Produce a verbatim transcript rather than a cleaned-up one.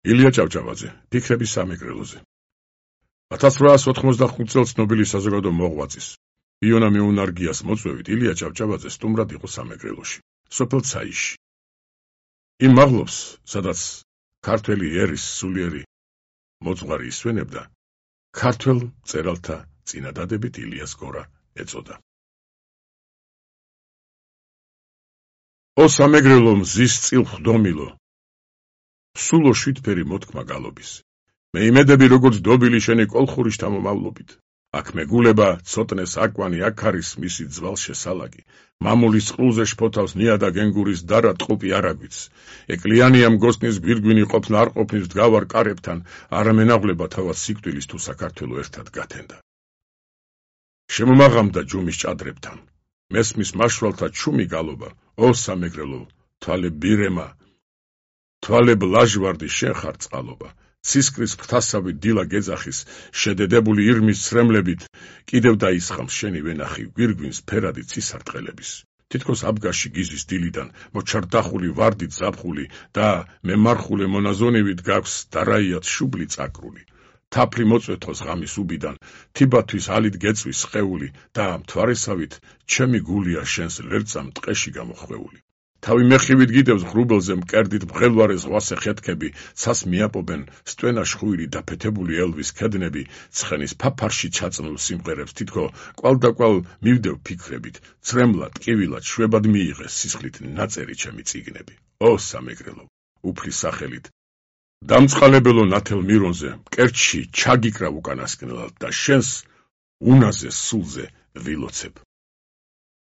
ილია ჭავჭავაძე, ფიქრების სამეგრელოზე. ათას რვაას ოთხმოცდახუთ წელს ნობელის საზოგადო მოღვაწის იონა მეუნარგიას მოწვევით ილია ჭავჭავაძე სტუმრად იყო სამეგრელოში, სოფელ ცაიში. იმ მაღლობს, სადაც ქართველი ერის სულიერი მოძღვარი ისვენებდა, ქართველ მწერალთა წინადადებით ილიას გორა ეწოდა. ო სამეგრელო მზის წილ ხდომილო, სულო შვიდფერი მოთქმა გალობის. მე იმედები როგორც დობილი შენი კოლხური შთამომავლობით. აქ მეგულება ცოტნეს აკვანი აქ არის მისი ძვალ შესალაგი. მამულის წყლულზე შფოთავს ნიადა გენგურის დარა ტყუპი არაგვიც. ეკლიანია მგოსნის გვირგვინი ყოფნა არ ყოფნის დგავარ კარებთან, არა მენაღვლება თავად სიკვდილის თუ საქართველო ერთად გათენდა. შემომაღამდა ჯუმის ჭადრებთან. მესმის მაშვალთა ჩუმი გალობა, ო სამეგრელო, თვალე ბირემა, თვალე ბლაჟვარდი შენ ხარ წყალობა. ცისკრის ფრთასავით დილა გეძახის, შედედებული ირმის ცრემლებით, კიდევ დაისხამს შენი ვენახი გვირგვინს ფერადი ცისარტყელების. თითქოს აბგაში გიზის დილიდან, მოჩარდახული ვარდით ზაფხული და მემარხულე მონაზონივით გაქვს დარაიათ შუბლი წაკრული. თაფლი მოწვეთოს ღამის უბიდან, თიბათვის ალით გეწვის სხეული და მთვარესავით ჩემი გულია შენს ლერწამ ტყეში გამოხვეული. თავი მეხივით გიდევს ღრუბელზე მკერდით მღელვარე ზღვასე ხეთქები, ცას მიაპობენ სტვენა შხუირი დაფეთებული ელვის ქედნები, ცხენის ფაფარში ჩაწნულ სიმღერებს თითქო კვალდაკვალ მივდევ ფიქრებით, ცრემლად, ტკივილად, შვებად მიიღეს სისხლით ნაწერი ჩემი წიგნები. ო სამეგრელო, უფლის სახელით, დამწყალებელო ნათელ მირონზე, მკერდში ჩაგიკრავ უკანასკნელად და შენს უნაზე სულზე ვილოცებ.